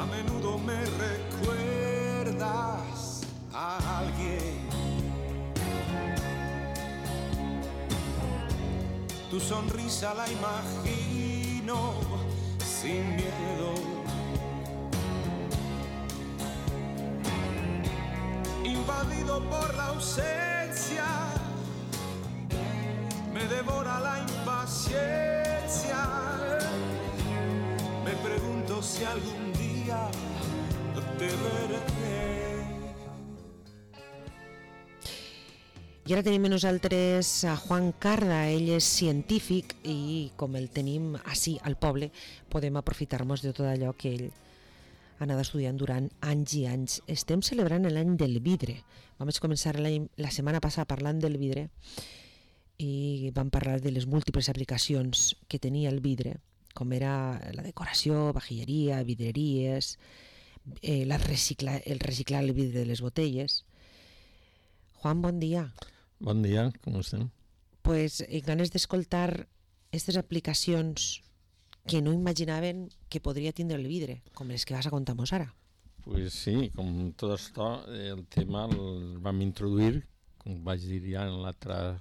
A menudo me recuerdas a alguien. Tu sonrisa la imagino sin miedo. Invadido por la ausencia, me devora la impaciencia. Me pregunto si algún día te veré. I ara tenim amb nosaltres a Juan Carda. Ell és científic i com el tenim així al poble podem aprofitar-nos de tot allò que ell ha anat estudiant durant anys i anys. Estem celebrant l'any del vidre. Vam començar la setmana passada parlant del vidre i vam parlar de les múltiples aplicacions que tenia el vidre, com era la decoració, vajilleria, vidreries, el reciclar el vidre de les botelles. Juan, bon dia. Bon dia, com estem? Pues ganes d'escoltar aquestes aplicacions que no imaginaven que podria tindre el vidre, com les que vas a contar-nos ara. Pues sí, com tot això, el tema el vam introduir, com vaig dir ja en l'altra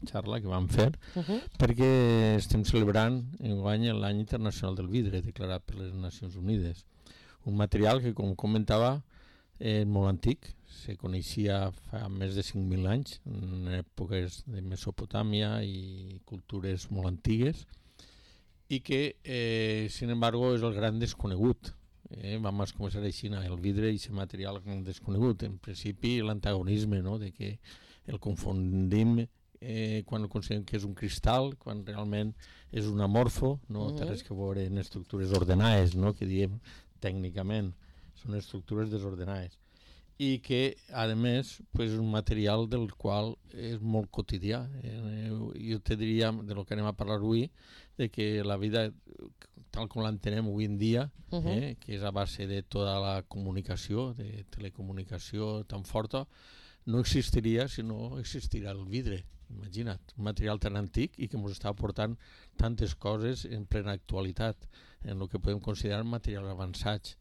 xarra que vam fer, perquè estem celebrant enguany l'any internacional del vidre, declarat per les Nacions Unides. Un material que, com comentava, és molt antic, se coneixia fa més de 5.000 anys, en èpoques de Mesopotàmia i cultures molt antigues, i que, sin embargo, és el gran desconegut. Vam començar així, el vidre i aquest material desconegut. En principi, l'antagonisme, no?, de que el confondim quan considerem que és un cristal, quan realment és un amorfo, no té res que veure en estructures ordenades, no?, que diem tècnicament, són estructures desordenades. I que, a més, és un material del qual és molt quotidià. Jo te diria, de lo que anem a parlar avui, de que la vida, tal com l'entenem avui en dia, que és a base de tota la comunicació, de telecomunicació tan forta, no existiria si no existirà el vidre. Imagina't, un material tan antic i que ens està aportant tantes coses en plena actualitat, en el que podem considerar materials avançats.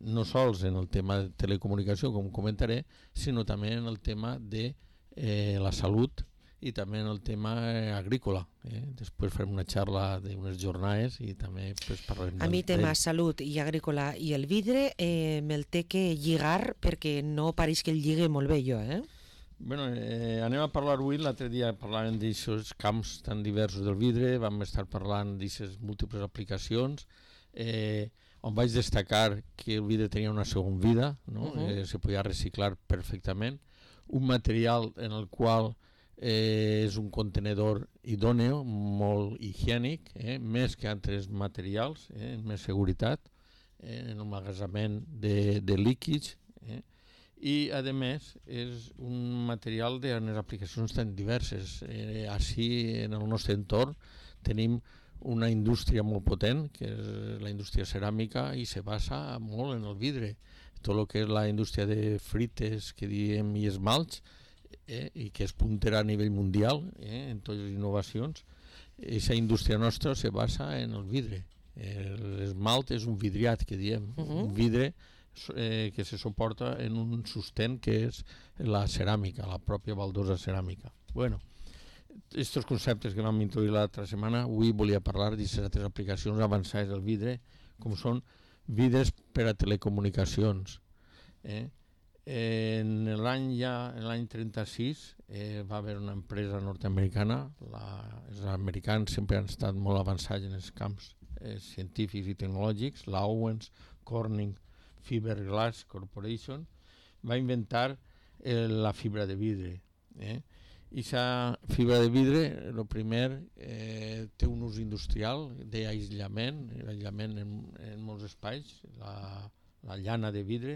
No sols en el tema de telecomunicació, com comentaré, sinó també en el tema de la salut i també en el tema agrícola. Després farem una xarra d'unes jornades i també parlarem. A mi tema salut i agrícola i el vidre me'l té que lligar perquè no pareix que el lligue molt bé jo, Bueno, anem a parlar avui, l'altre dia parlàvem d'aixòs camps tan diversos del vidre, vam estar parlant d'aixes múltiples aplicacions, on vaig destacar que el vidre tenia una segona vida, no? Se podia reciclar perfectament, un material en el qual és un contenedor idòneo, molt higiènic, més que altres materials, més seguretat, en el magatzament de líquids, i a més és un material de les aplicacions tan diverses. Així en el nostre entorn tenim una indústria molt potent, que és la indústria ceràmica, i se basa molt en el vidre. Tot el que és la indústria de frites, que diem, i esmalts, i que és puntera a nivell mundial en totes les innovacions, aquesta indústria nostra se basa en el vidre. L'esmalt és un vidriat, que diem, un vidre que se suporta en un sostén que és la ceràmica, la pròpia baldosa ceràmica. Bueno, aquests conceptes que vam introduir l'altra setmana, avui volia parlar d'aquestes aplicacions avançades del vidre, com són vidres per a telecomunicacions. En l'any 36 va haver una empresa nord-americana, els americans sempre han estat molt avançats en els camps científics i tecnològics, la Owens Corning Fiberglass Corporation, va inventar la fibra de vidre. I aquesta fibra de vidre, el primer, té un ús industrial d'aïllament, l'aïllament en molts espais, la llana de vidre,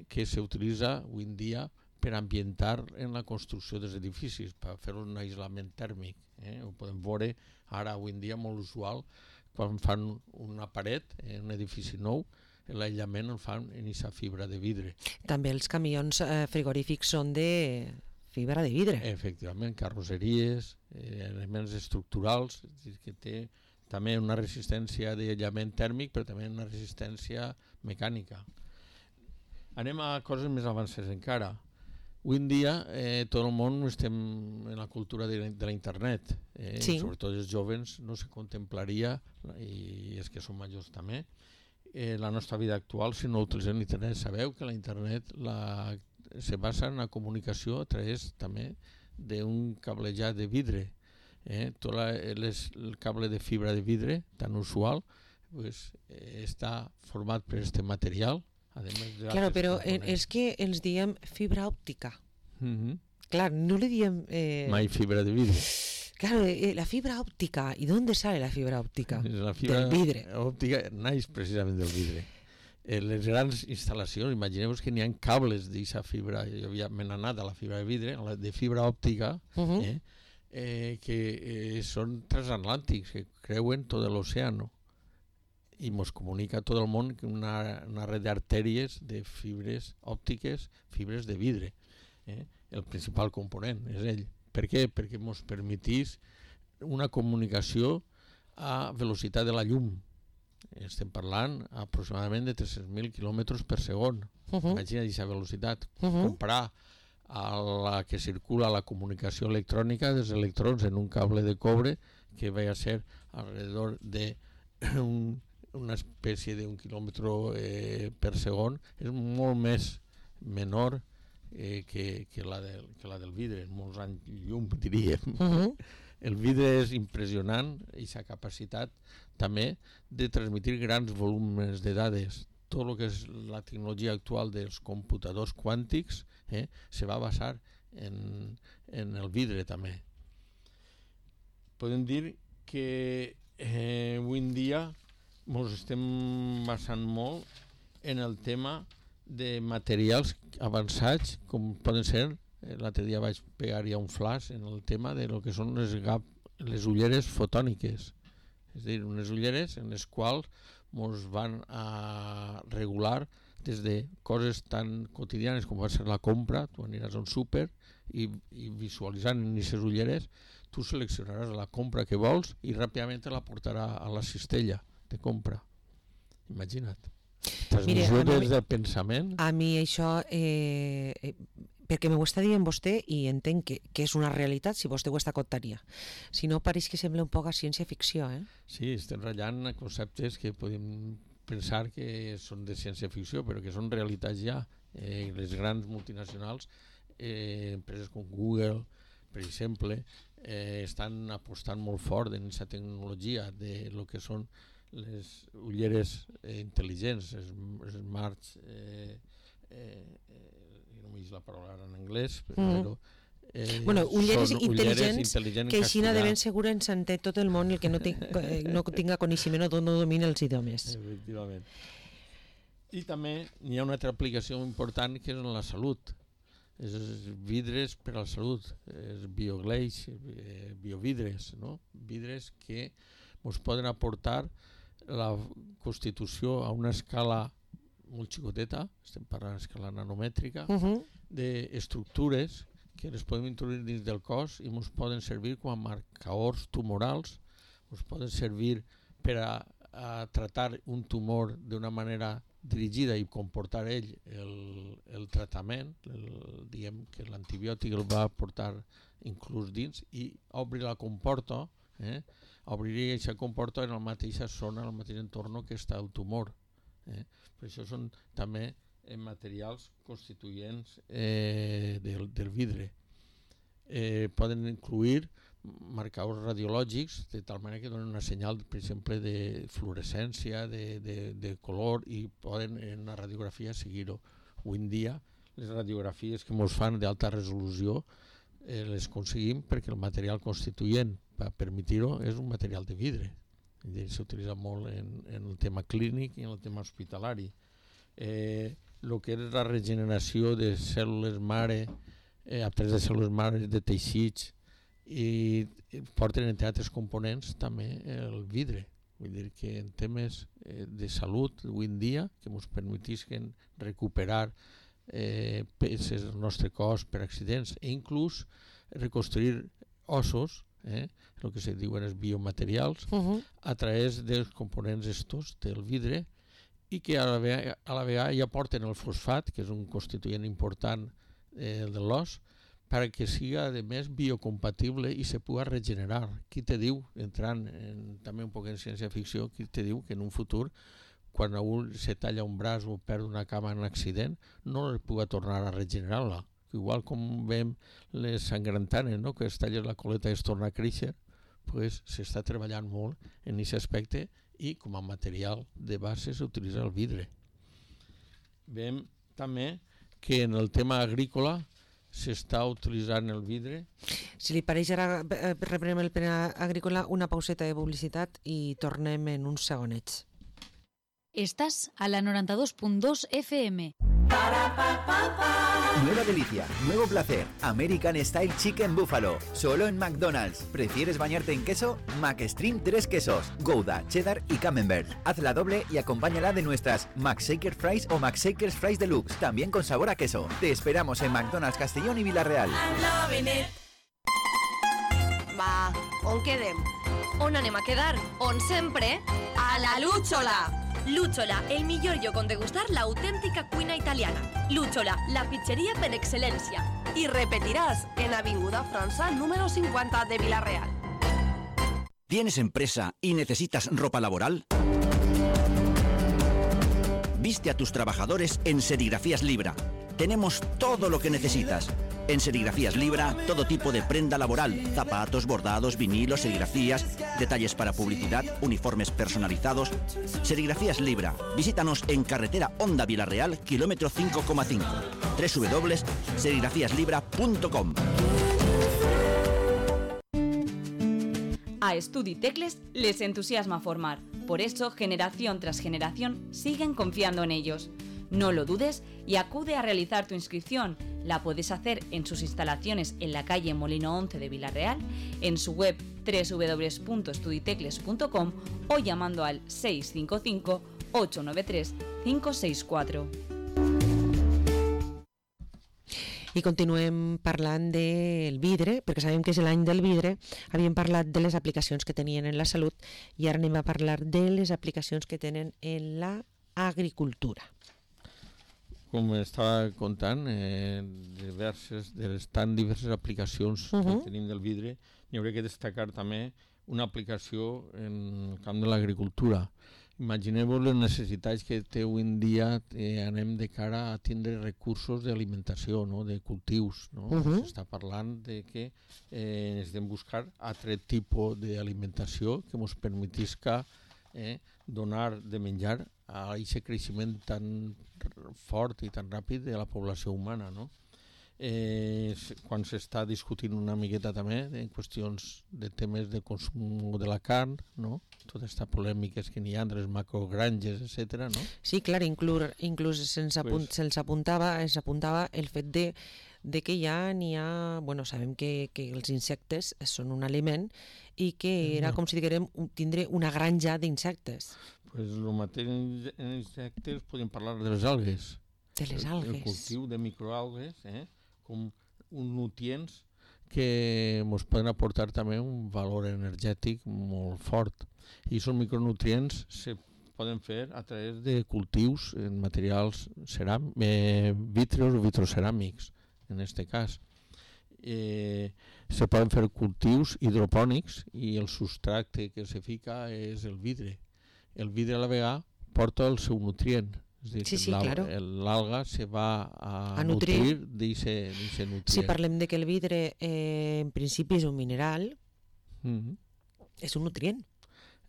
que s'utilitza avui en dia per ambientar en la construcció dels edificis, per fer un aïllament tèrmic. Ho podem veure ara, avui en dia, molt usual, quan fan una paret en un edifici nou, l'aïllament el fan en aquesta fibra de vidre. També els camions frigorífics són de fibra de vidre. Efectivament, carrosseries, elements estructurals, és a dir, que també una resistència d'aïllament tèrmic, però també una resistència mecànica. Anem a coses més avançades encara. Avui en dia tot el món estem en la cultura de la internet, Sí. Sobretot els joves no se contemplaria, i els que són majors també, la nostra vida actual si no utilitzem l'internet. Sabeu que la internet se basa en la comunicació a través també d'un cablejat de vidre. Tot el cable de fibra de vidre tan usual pues, està format per aquest material. Claro, però és que ens diem fibra òptica. Clar, no le diem... Mai fibra de vidre. Claro, la fibra òptica. ¿Y dónde sale la fibra òptica? La fibra del vidre. òptica naix precisament del vidre. Les grans instal·lacions, imagineu que n'hi ha cables d'aquesta fibra, jo me n'he anat a la fibra de vidre, de fibra òptica, que són transatlàntics, que creuen tot l'oceà i ens comunica a tot el món una red d'artèries de fibres òptiques, fibres de vidre. El principal component és ell. Per què? Perquè ens permetís una comunicació a velocitat de la llum. Estem parlant aproximadament de 300.000 km per segon. Imagina aquesta velocitat. Comparar a la que circula la comunicació electrònica dels electrons en un cable de cobre que va a ser alrededor de una espècie d'un quilòmetre per segon, és molt més menor que la del vidre, molts anys llum, diríem. El vidre és impressionant i sa capacitat també de transmetre grans volums de dades. Tot el que és la tecnologia actual dels computadors quàntics se va basar en el vidre també. Podem dir que avui en dia ens estem basant molt en el tema de materials avançats, com poden ser, l'altre dia vaig pegar ja un flash en el tema de lo que són les ulleres fotòniques. És a dir, unes ulleres en les quals ens van a regular des de coses tan quotidianes com va ser la compra. Tu aniràs a un súper i visualitzant en aquestes ulleres tu seleccionaràs la compra que vols i ràpidament te la portarà a la cistella de compra. Imagina't. Transmissió des del pensament. A mi això, perquè m'ho està dient vostè i entenc que és una realitat si vostè ho està contaria. Si no, pareix que sembla un poc a ciència-ficció. Sí, estem ratllant conceptes que podem pensar que són de ciència-ficció, però que són realitats ja. Les grans multinacionals, empreses com Google, per exemple, estan apostant molt fort en aquesta tecnologia de lo que són les ulleres intel·ligents, smart, no m'he dit la paraula en anglès, però ulleres intel·ligents que així de ben segur ens entén tot el món i el que no tinga coneixement o no domina els idiomes. Efectivament. I també hi ha una altra aplicació important que és en la salut. És vidres per a la salut, és biogleix, biovidres, vidres que ens poden aportar la constitució a una escala molt xicoteta, estem parlant d'escala nanomètrica, d'estructures que les podem introduir dins del cos i ens poden servir com a marcadors tumorals, ens poden servir per a tratar un tumor d'una manera dirigida i comportar ell el tractament, diguem que l'antibiòtic el va portar inclús dins i obrir la comporta, obriria aquesta comporta en la mateixa zona, en el mateix entorn que està el tumor. Per això són també materials constituents del vidre. Poden incluir marcadors radiològics de tal manera que donen una senyal, per exemple, de fluorescència, de color, i poden en la radiografia seguir-ho. Avui en dia les radiografies que ens fan d'alta resolució les aconseguim perquè el material constituent per permetre-ho és un material de vidre. S'utilitza molt en el tema clínic i en el tema hospitalari. El que és la regeneració de cèl·lules mare, a través de cèl·lules mare, de teixits, i porten entre altres components també el vidre. Vull dir que en temes de salut avui en dia que ens permetisquen recuperar peces del nostre cos per accidents e inclús reconstruir ossos el que se diuen els biomaterials, a través dels components estos del vidre, i que a la vegada ja porten el fosfat, que és un constituent important de l'os, perquè siga, a més, biocompatible i se pugui regenerar. Qui te diu, entrant també un poc en ciència-ficció, qui te diu que en un futur, quan algú se talla un braç o perd una cama en un accident, no es pugui tornar a regenerar-la. Igual com veiem les sangrantanes, no? Que es talla la coleta i es torna a créixer, pues, s'està treballant molt en aquest aspecte i com a material de base s'utilitza el vidre. Veiem també que en el tema agrícola s'està utilitzant el vidre. Si li pareix, ara reprenem el tema agrícola, una pauseta de publicitat i tornem en uns segonets. Estás a la 92.2 FM. Nueva delicia, nuevo placer, American Style Chicken Buffalo, solo en McDonald's. ¿Prefieres bañarte en queso? McStream 3 quesos, Gouda, Cheddar y Camembert. Hazla doble y acompáñala de nuestras McShaker Fries o McShakers Fries Deluxe, también con sabor a queso. Te esperamos en McDonald's Castellón y Villarreal. Va, on quedem? On anem a quedar? On sempre? A la Lúchola! Lúchola, el millor lloc on degustar l'autèntica cuina italiana. Lúchola, la pizzeria per excel·lència. I repetiràs en Avinguda França, número 50 de Villarreal. ¿Tienes empresa y necesitas ropa laboral? Viste a tus trabajadores en Serigrafías Libra. Tenemos todo lo que necesitas. En Serigrafías Libra, todo tipo de prenda laboral, zapatos, bordados, vinilos, serigrafías, detalles para publicidad, uniformes personalizados. Serigrafías Libra. Visítanos en carretera Honda Villarreal, kilómetro 5,5. www.serigrafíaslibra.com. A Estudi Tecles les entusiasma formar. Por eso, generación tras generación, siguen confiando en ellos. No lo dudes y acude a realizar tu inscripción. La puedes hacer en sus instalaciones en la calle Molino 11 de Villarreal, en su web www.estuditecles.com o llamando al 655 893 564. I continuem parlant del vidre, perquè sabem que és l'any del vidre. Havíem parlat de les aplicacions que tenien en la salut i ara anem a parlar de les aplicacions que tenen en l'agricultura. Com estava contant, tan diverses aplicacions que tenim del vidre, n'hi hauria que destacar també una aplicació en el camp de l'agricultura. Imagineu-vos les necessitats que té avui en dia, anem de cara a tindre recursos d'alimentació, no? De cultius. No? S'està parlant de que necessitem buscar altre tipus d'alimentació que ens permetisca donar de menjar a aquest creixement tan fort i tan ràpid de la població humana. No? Quan s'està discutint una miqueta també en qüestions de temes de consum de la carn, no? Totes aquestes polèmiques que n'hi ha entre les macrogranges, etc. No? Sí, clar, inclús se'ns apuntava el fet de que ja n'hi ha... Bueno, sabem que els insectes són un aliment i que era com si diguem tindre una granja d'insectes. Pues el mateix en insectes podem parlar de les algues. De les algues. El cultiu de microalgues, com uns nutrients que ens poden aportar també un valor energètic molt fort. I aquests micronutrients se poden fer a través de cultius en materials vítreos o vitroceràmics, en aquest cas. Se poden fer cultius hidropònics i el substrat que se fica és el vidre. El vidre a la vegada porta el seu nutrient. És dir, claro. L'alga se va a nutrir d'aquest nutrient. Si parlem de que el vidre en principi és un mineral, és un nutrient.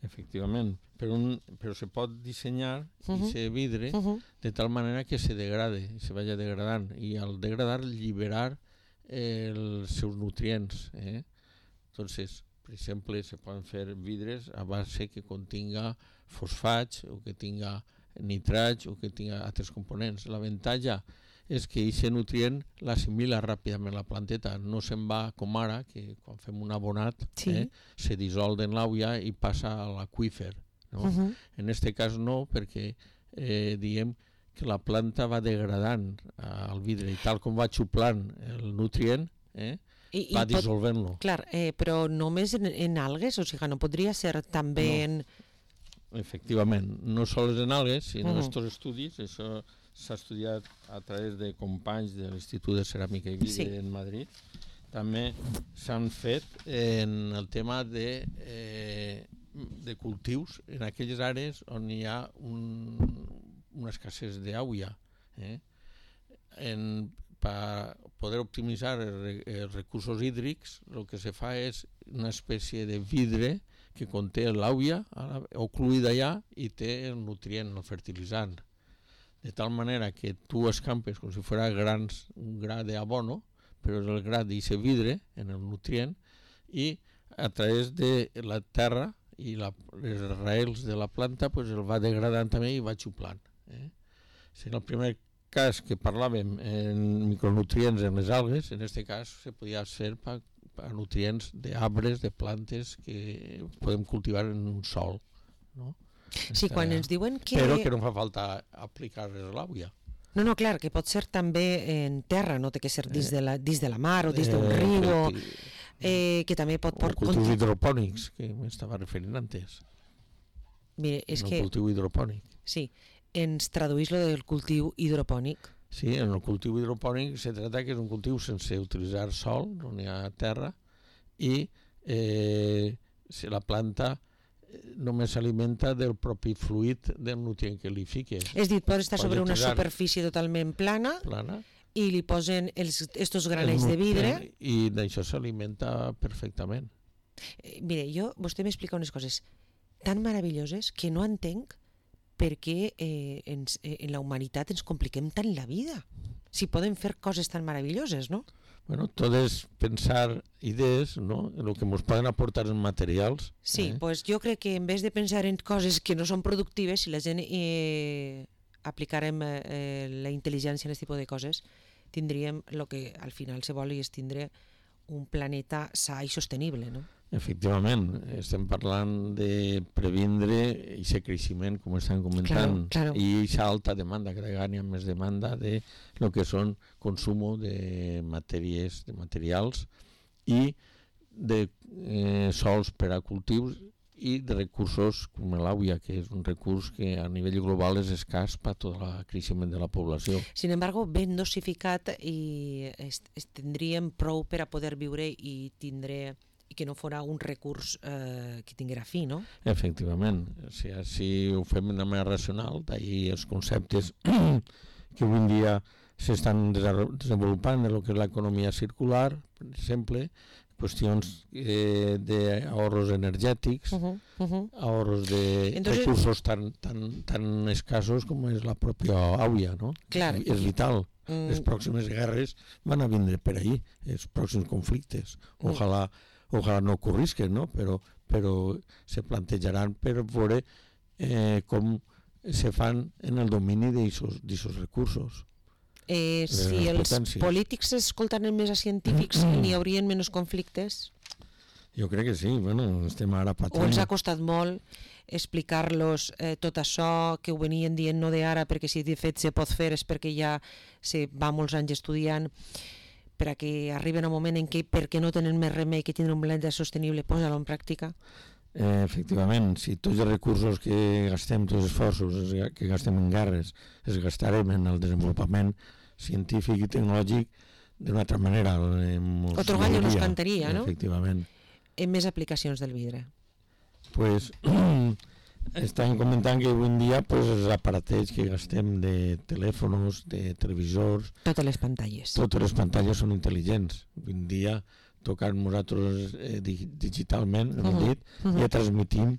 Efectivament, però se pot dissenyar aquest vidre de tal manera que se degrade, se vagi degradant, i al degradar lliberar els seus nutrients. Entonces, per exemple, se poden fer vidres a base que continga fosfats o que tinga nitrats o que tinga altres components. L'avantatge és que aquest nutrient l'assimila ràpidament la planteta, no se'n va com ara, que quan fem un abonat se dissol en l'aigua i passa a l'aqüífer. No? En aquest cas no, perquè diem que la planta va degradant el vidre i tal com va xuplant el nutrient, va dissolvent-lo. Clar, però només en algues, o sigui, no podria ser també en... Efectivament, no sols en algues, sinó estos estudis, això s'ha estudiat a través de companys de l'Institut de Ceràmica i Vidre en Madrid. També s'han fet en el tema de cultius en aquelles àrees on hi ha una escassez d'aigua. Per poder optimitzar els recursos hídrics, el que se fa és una espècie de vidre que conté l'aigua ocluïda allà i té el nutrient, el fertilitzant. De tal manera que tu escampes com si fos un gra d'abono, però és el gra d'aquest vidre en el nutrient i a través de la terra i les raïls de la planta el va degradant també i va xuplant. En el primer cas que parlàvem en micronutrients en les algues, en aquest cas se podia fer per nutrients d'arbres, de plantes que podem cultivar en un sòl. Sí, quan ens diuen que... Però que no fa falta aplicar-les a l'aigua. No, clar, que pot ser també en terra, no té que ser dins de la mar o dins d'un riu, que també pot... O cultius hidropònics, que m'estava referint antes. Mira, és que... El cultiu hidropònic. Sí, ens traduís lo del cultiu hidropònic. Sí, en el cultiu hidropònic se trata que és un cultiu sense utilitzar sol, on hi ha terra, i la planta només s'alimenta del propi fluid del nutrient que li fiques. És dir, pot estar sobre una superfície totalment plana i li posen estos granells de vidre. I d'això s'alimenta perfectament. Mire, vostè m'explica unes coses tan meravelloses que no entenc per què en la humanitat ens compliquem tant la vida. Si podem fer coses tan meravelloses, no? Bueno, tot és pensar idees, no?, en el que ens poden aportar en materials. Sí, pues jo crec que en vez de pensar en coses que no són productives, si la gent aplicarem la intel·ligència en aquest tipus de coses, tindríem el que al final se vol i és tindre un planeta sa i sostenible, no? Efectivament, estem parlant de previndre aquest creixement, com estan comentant, i aquesta alta demanda, cada vegada hi ha més demanda de lo que són consum de matèries, de materials i de sòls per a cultius i de recursos com l'aigua, que és un recurs que a nivell global és escàs per tot el creixement de la població. Sin embargo, ben dosificat i tindríem prou per a poder viure i tindre... i que no fora un recurs que tinguera fi, no? Efectivament. Si ho fem de manera racional, d'ahir els conceptes que avui en dia s'estan desenvolupant en el que és l'economia circular, per exemple, qüestions d'ahorros energètics, ahorros de recursos tan escassos com és la pròpia aigua, no? Clar. És vital. Les pròximes guerres van a vindre per ahir, els pròxims conflictes. Ojalà no ocorrisquen, no? Però se plantejaran per veure com se fan en el domini d'aquests recursos. Si els polítics escoltaran més a científics, n'hi haurien menys conflictes? Jo crec que sí, estem ara patint. O els ha costat molt explicar-los tot això, que ho venien dient no d'ara, perquè si de fet se pot fer és perquè ja se va molts anys estudiant, per a que arriben un moment en què, perquè no tenen més remei que tindre un planeta sostenible, posa-lo en pràctica? Efectivament, si tots els recursos que gastem, tots els esforços que gastem en guerres, els gastarem en el desenvolupament científic i tecnològic d'una altra manera. Otro gallo nos cantaria, no? Efectivament. En més aplicacions del vidre. Pues estan comentant que avui en dia els aparatets que gastem de telèfons, de televisors... Totes les pantalles són intel·ligents. Avui en dia tocant nosaltres digitalment, hem dit, ja transmitim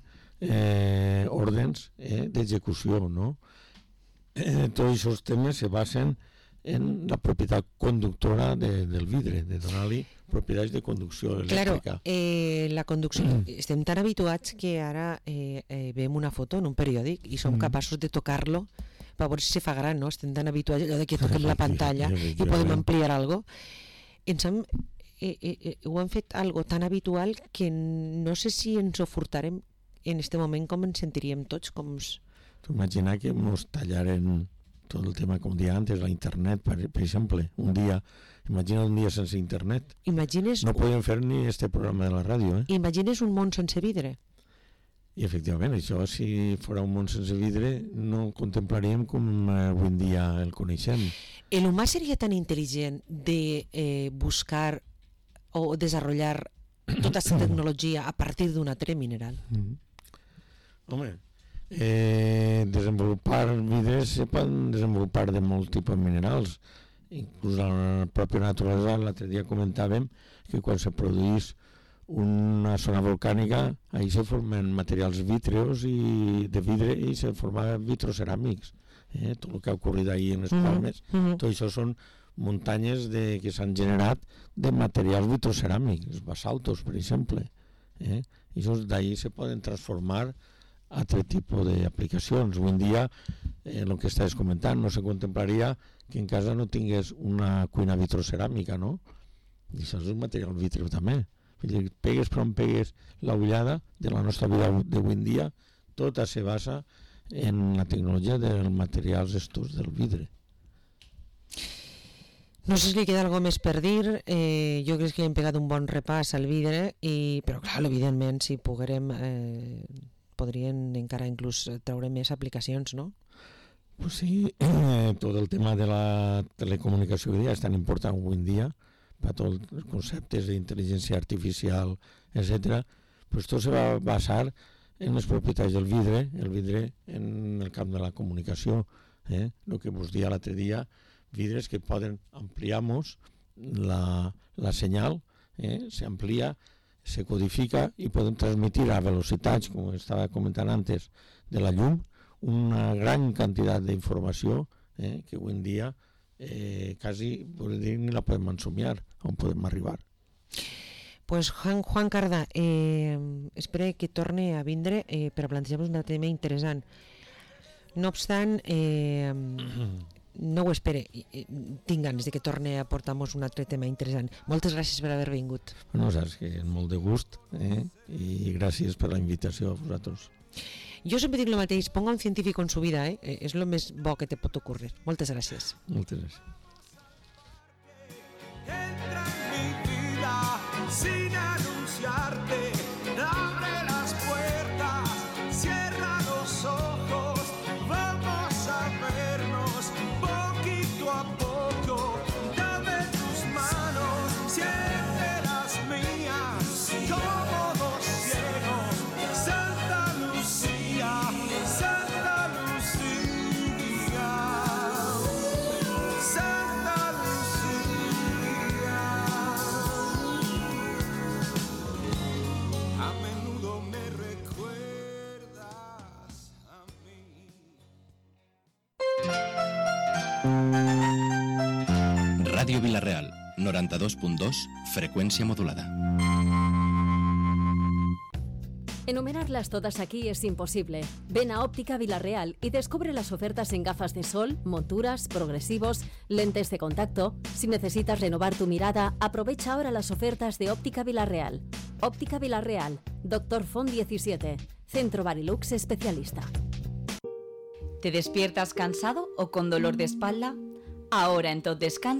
ordres d'execució, no? Tots aquests temes se basen en la propietat conductora del vidre, de donar-li propietats de conducció elèctrica. Claro, la conducció... Estem tan habituats que ara veiem una foto en un periòdic i som capaços de tocar-lo per veure si se fa gran, no? Estem tan habituats allò que toquem la pantalla i podem ampliar alguna cosa. Ho han fet algo tan habitual que no sé si ens ho furtarem en este moment com ens sentiríem tots. Tu imagina que ens tallaren tot el tema, com deia antes, la internet, per exemple, imagina un dia sense internet. No podem fer ni este programa de la ràdio. Imagines un món sense vidre? I efectivament, això, si fos un món sense vidre, no contemplaríem com avui en dia el coneixem. ¿El humà seria tan intel·ligent de buscar o desenvolupar tota aquesta tecnologia a partir d'un altre mineral? Home, desenvolupar vidres se poden desenvolupar de molts tipus de minerals. Inclús a la pròpia naturalesa, l'altre dia comentàvem que quan se produís una zona volcànica, ahí se formen materials vítreos i de vidre i se formen vitroceràmics. Tot el que ha ocorrit ahir en les Palmes, tot això són muntanyes que s'han generat de materials vitroceràmics, basaltos, per exemple. I d'ahir se poden transformar a altre tipus d'aplicacions. Avui en dia, el que estàs comentant, no se contemplaria que en casa no tingués una cuina vitroceràmica, no? I això és un material vitreu també. Pegues per on pegues l'ullada de la nostra vida d'avui en dia, tota se basa en la tecnologia dels materials estos del vidre. No sé si li queda alguna més per dir. Jo crec que hem pegat un bon repàs al vidre, però clar, evidentment, si poguérem, podrien encara inclús treure més aplicacions, no? Pues sí, tot el tema de la telecomunicació és tan important avui en dia, per tots els conceptes d'intel·ligència artificial, etc. Pues tot se va basar en les propietats del vidre, el vidre en el camp de la comunicació. El que vos dia l'altre dia, vidres que poden ampliar-nos la senyal, s'amplia, se codifica i podem transmitir a velocitats, com estava comentant antes, de la llum, una gran quantitat d'informació que avui en dia quasi ni la podem ensomiar on podem arribar. Pues Juan Carda, espero que torne a vindre per a plantejar-vos un tema interessant. No obstant, no ho espere, tinc ganes de que torne a portar-nos un altre tema interessant. Moltes gràcies per haver vingut. Bueno, saps que és molt de gust i gràcies per la invitació a vosaltres. Jo sempre dic el mateix, ponga un científic en su vida, és el més bo que te pot ocurrir. Moltes gràcies. Moltes gràcies. Entra en mi vida sin anunciarte, abre las puertas, cierra los ojos, vamos a vernos poquito a poco, dame tus manos, siente las mías, como dos ciegos, Santa Lucía, Santa Lucía, Santa Lucía. A menudo me recuerdas a mí. Ràdio Vila-real, 92.2, frecuencia modulada. Enumerarlas todas aquí es imposible. Ven a Óptica Vila-real y descubre las ofertas en gafas de sol, monturas, progresivos, lentes de contacto. Si necesitas renovar tu mirada, aprovecha ahora las ofertas de Óptica Vila-real. Óptica Vila-real, Dr. Font 17, Centro Barilux Especialista. ¿Te despiertas cansado o con dolor de espalda? Ahora en Tot Descans